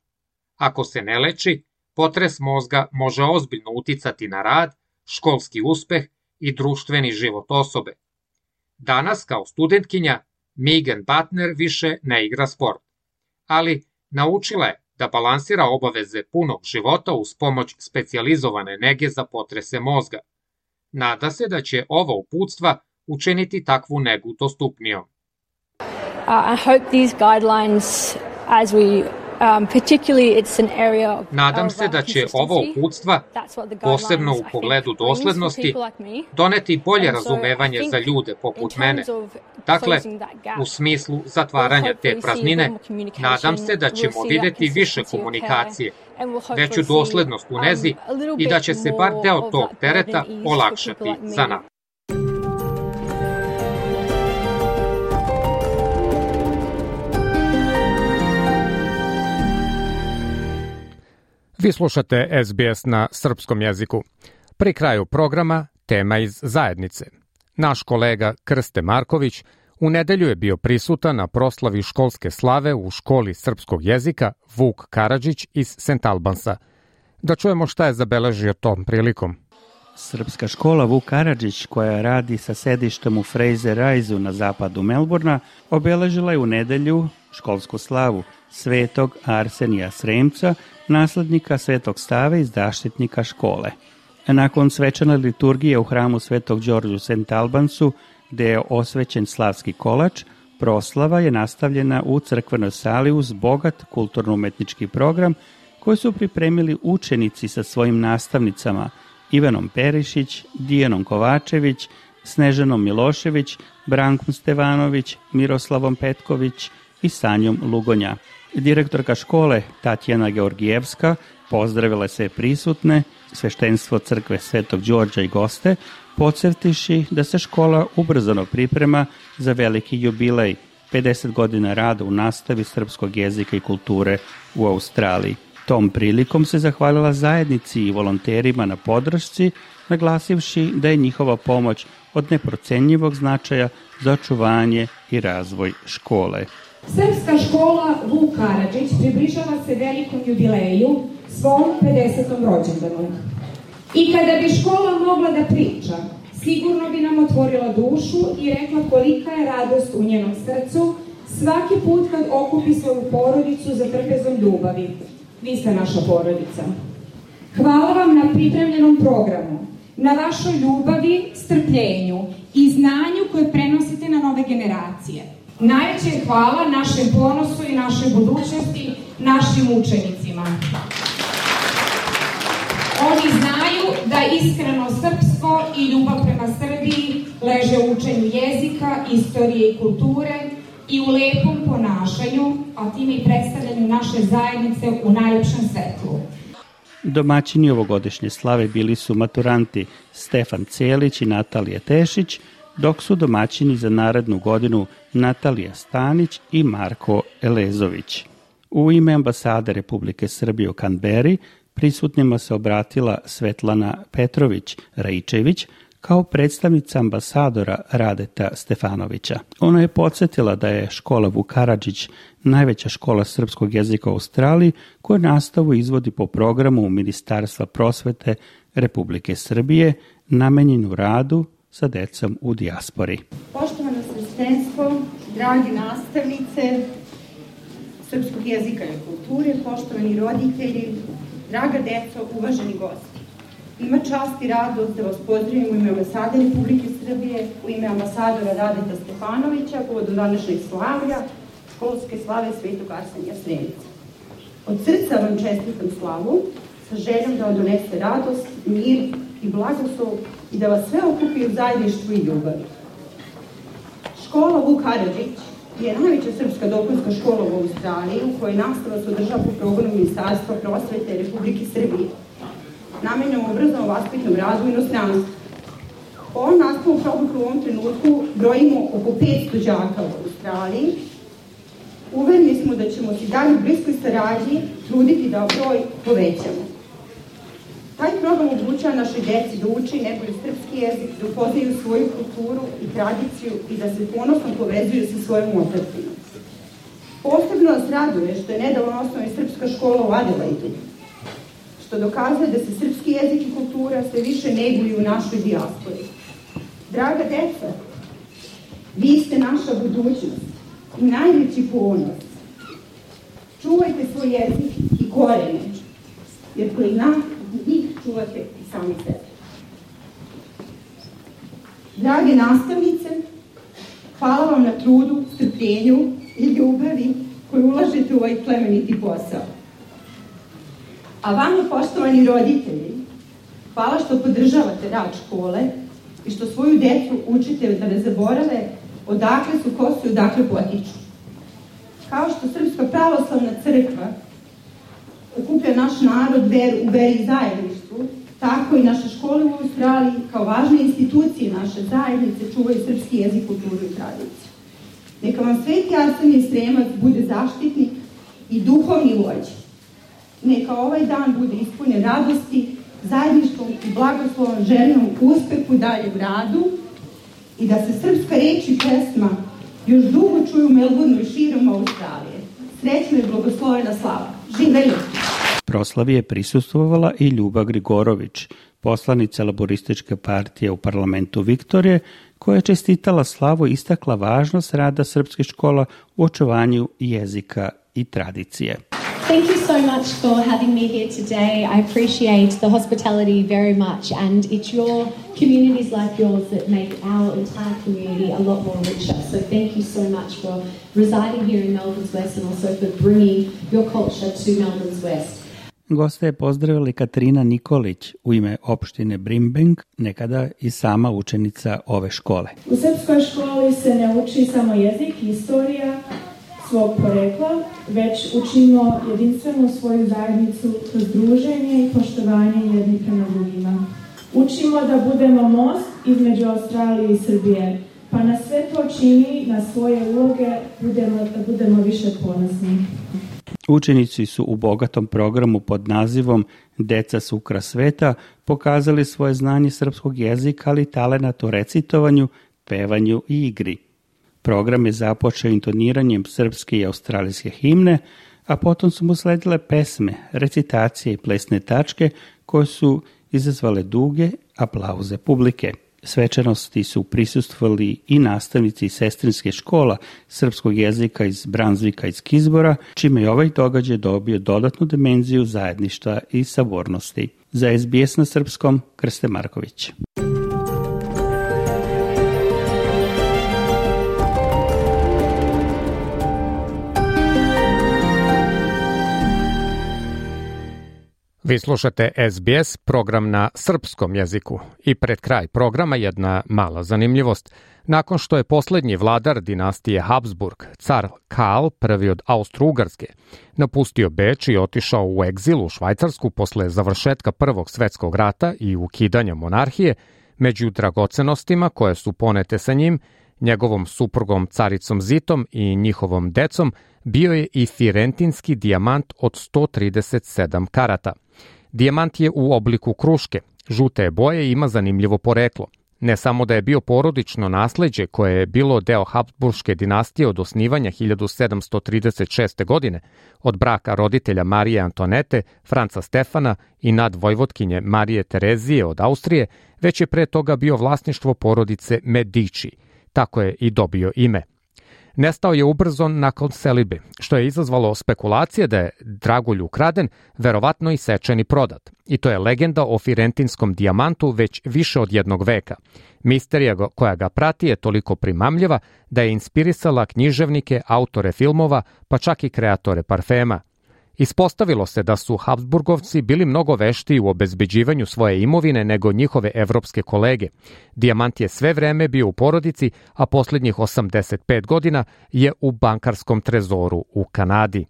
Ako se ne leči, potres mozga može ozbiljno uticati na rad, školski uspeh i društveni život osobe. Danas, kao studentkinja, Megan Butner više ne igra sport, ali naučila je da balansira obaveze punog života uz pomoć specijalizovane nege za potrese mozga. Nada se da će ova uputstva učiniti takvu negu dostupnijom. I hope these guidelines, as we Nadam se da će ova uputstva, posebno u pogledu doslednosti, doneti bolje razumevanje za ljude poput mene. Dakle, u smislu zatvaranja te praznine, nadam se da ćemo videti više komunikacije, veću doslednost u nezi i da će se bar deo tog tereta olakšati za nas. Vi slušate SBS na srpskom jeziku. Pri kraju programa tema iz zajednice. Naš kolega Krste Marković u nedelju je bio prisutan na proslavi školske slave u školi srpskog jezika Vuk Karadžić iz St. Albansa. Da čujemo šta je zabeležio tom prilikom. Srpska škola Vuk Karadžić, koja radi sa sedištem u Fraser Riseu na zapadu Melbourna, obeležila je u nedelju školsku slavu svetog Arsenija Sremca, naslednika Svetog Save i zaštitnika škole. Nakon svečane liturgije u hramu Svetog Đorđa u St. Albansu, gde je osvećen slavski kolač, proslava je nastavljena u crkvenoj sali uz bogat kulturno-umetnički program koji su pripremili učenici sa svojim nastavnicama Ivanom Perišić, Dijanom Kovačević, Snežanom Milošević, Brankom Stevanović, Miroslavom Petković i Sanjom Lugonja. Direktorka škole Tatjana Georgijevska pozdravila se prisutne, sveštenstvo crkve Svetog Đorđa i goste, podsjetiši da se škola ubrzano priprema za veliki jubilej, 50 godina rada u nastavi srpskog jezika i kulture u Australiji. Tom prilikom se zahvalila zajednici i volonterima na podršci, naglasivši da je njihova pomoć od neprocenjivog značaja za očuvanje i razvoj škole. Srpska škola Vuk Karadžić približava se velikom jubileju, svom 50. rođendanu. I kada bi škola mogla da priča, sigurno bi nam otvorila dušu i rekla kolika je radost u njenom srcu svaki put kad okupi svoju porodicu za trpezom ljubavi. Vi ste naša porodica. Hvala vam na pripremljenom programu, na vašoj ljubavi, strpljenju i znanju koje prenosite na nove generacije. Najveće hvala našem ponosu i našoj budućnosti, našim učenicima. Oni znaju da iskreno srpstvo i ljubav prema Srbiji leže u učenju jezika, istorije i kulture i u lepom ponašanju, a time i predstavljanju naše zajednice u najlepšem svetlu. Domaćini ovogodišnje slave bili su maturanti Stefan Celić i Natalija Tešić, dok su domaćini za narednu godinu Natalija Stanić i Marko Elezović. U ime ambasade Republike Srbije u Kanberi prisutnima se obratila Svetlana Petrović-Raičević kao predstavnica ambasadora Radeta Stefanovića. Ona je podsjetila da je škola Vuk Karadžić najveća škola srpskog jezika u Australiji koja nastavu izvodi po programu Ministarstva prosvete Republike Srbije namenjenu radu sa decom u dijaspori. Poštovano sveštenstvo, dragi nastavnice srpskog jezika i kulture, poštovani roditelji, draga deco, uvaženi gosti. Ima čast i radost da vas pozdravim u ime ambasade Republike Srbije, u ime ambasadora Radeta Stefanovića, povodom današnjeg slavlja, školske slave Svetog Arsenija Sremca. Od srca vam čestitam slavu, sa željom da vam donese radost, mir i blagoslov i da vas sve okupi u zajedništvu i ljubavi. Škola Vuk Karadžić je najveća srpska dopunska škola u Australiji u kojoj nastava se održava po programu Ministarstva prosvete Republike Srbije, namenjenom obrazovno-vaspitnom radu u inostranstvu. Po ovom nastavom programu u ovom trenutku brojimo oko 500 đaka u Australiji. Uvereni smo da ćemo se dalje u bliskoj saradnji truditi da broj povećamo. Taj program omogućava našoj deci da uči najbolje srpski jezik, da upoznaju svoju kulturu i tradiciju i da se ponosno povezuju sa svojom otadžinom. Posebno nas raduje što je nedavno osnovana srpska škola u Adelaidu, što dokazuje da se srpski jezik i kultura sve više neguju u našoj dijaspori. Draga deca, vi ste naša budućnost i najveći ponos. Čuvajte svoj jezik i korene, jer koji njih čuvate i sami sebe. Drage nastavnice, hvala vam na trudu, strpljenju i ljubavi koju ulažete u ovaj plemeniti posao. A vama, poštovani roditelji, hvala što podržavate rad škole i što svoju decu učite da ne zaborave odakle su, ko su i odakle potiču. Kao što Srpska pravoslavna crkva okuplja naš narod u veri i zajedništvu, tako i naše škole u Australiji kao važne institucije naše zajednice čuvaju srpski jezik, kulturu i tradiciju. Neka vam Sveti Arsenije Sremac bude zaštitnik i duhovni vođa. Neka ovaj dan bude ispunjen radosti, zajedništvom i blagoslovom željenom uspehu dalje u radu i da se srpska reč i pesma još dugo čuju u Melbourneu i širom Australije. Srećna i blagoslovena slava. Živeli! Proslavi je prisustvovala i Ljuba Grigorović, poslanica Laborističke partije u parlamentu Viktorije, koja je čestitala slavu i istakla važnost rada srpskih škola u očuvanju jezika i tradicije. Thank you so much for having me here today. I appreciate the hospitality very much, and it's your communities like yours that make our entire community a lot more richer. So thank you so much for residing here in Melbourne's West and also for bringing your culture to Melbourne's West. Goste je pozdravili Katarina Nikolić u ime opštine Brimbank, nekada i sama učenica ove škole. U srpskoj školi se ne uči samo jezik i istorija svog porekla, već učimo jedinstvenu svoju zajednicu kroz druženje i poštovanje jedni prema drugima. Učimo da budemo most između Australije i Srbije, pa na sve to čini, na svoje uloge, da budemo više ponosni. Učenici su u bogatom programu pod nazivom Deca su ukras sveta pokazali svoje znanje srpskog jezika, ali i talenat u recitovanju, pevanju i igri. Program je započeo intoniranjem srpske i australijske himne, a potom su mu sledile pesme, recitacije i plesne tačke koje su izazvale duge aplauze publike. Svečanosti su prisustvovali i nastavnici sestrinske škola srpskog jezika iz Brunswicka i Kizbora, čime je ovaj događaj dobio dodatnu dimenziju zajedništva i sabornosti. Za SBS na srpskom, Krste Marković. Vi slušate SBS, program na srpskom jeziku. I pred kraj programa jedna mala zanimljivost. Nakon što je posljednji vladar dinastije Habsburg, car Karl I od Austro-Ugarske, napustio Beč i otišao u egzil u Švajcarsku posle završetka Prvog svjetskog rata i ukidanja monarhije, među dragocenostima koje su ponete sa njim, njegovom suprugom caricom Zitom i njihovom decom, bio je i firentinski dijamant od 137 karata. Dijamant je u obliku kruške, žute je boje i ima zanimljivo poreklo. Ne samo da je bio porodično nasleđe koje je bilo deo Habsburške dinastije od osnivanja 1736. godine, od braka roditelja Marije Antonete, Franca Stefana i nadvojvotkinje Marije Terezije od Austrije, već je pre toga bio vlasništvo porodice Medici. Tako je i dobio ime. Nestao je ubrzo nakon selidbe, što je izazvalo spekulacije da je dragulj ukraden, verovatno i sečen i prodat. I to je legenda o firentinskom dijamantu već više od jednog veka. Misterija koja ga prati je toliko primamljiva da je inspirisala književnike, autore filmova, pa čak i kreatore parfema. Ispostavilo se da su Habsburgovci bili mnogo veštiji u obezbeđivanju svoje imovine nego njihove evropske kolege. Dijamant je sve vreme bio u porodici, a posljednjih 85 godina je u bankarskom trezoru u Kanadi.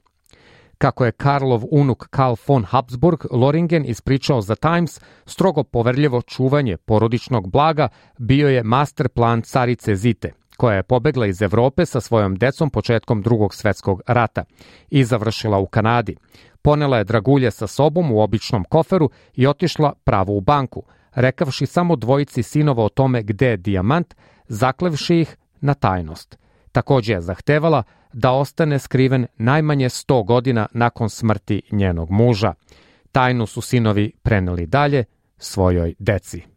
Kako je Karlov unuk Karl von Habsburg Loringen ispričao za Times, strogo poverljivo čuvanje porodičnog blaga bio je master plan carice Zite, koja je pobegla iz Evrope sa svojom decom početkom Drugog svetskog rata i završila u Kanadi. Ponela je dragulje sa sobom u običnom koferu i otišla pravo u banku, rekavši samo dvojici sinova o tome gde je dijamant, zaklevši ih na tajnost. Također je zahtevala da ostane skriven najmanje 100 godina nakon smrti njenog muža. Tajnu su sinovi preneli dalje svojoj deci.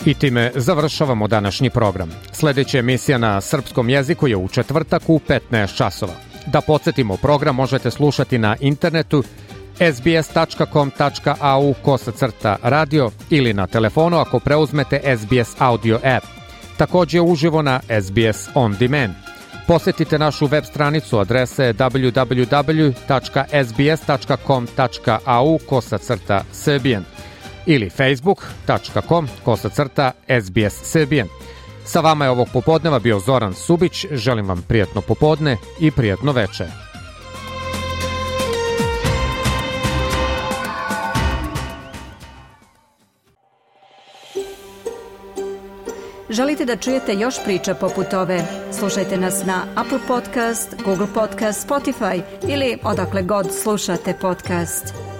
I time završavamo današnji program. Sljedeća emisija na srpskom jeziku je u četvrtak u 15 časova. Da podsjetimo, program možete slušati na internetu sbs.com.au/radio ili na telefonu ako preuzmete SBS audio app. Također uživo na SBS On Demand. Posjetite našu web stranicu, adrese www.sbs.com.au/Serbian ili facebook.com/SBS Serbian. Sa vama je ovog popodneva bio Zoran Subić. Želim vam prijatno popodne i prijatno večer. Želite da čujete još priča poput ove? Slušajte nas na Apple Podcast, Google Podcast, Spotify ili odakle god slušate podcast.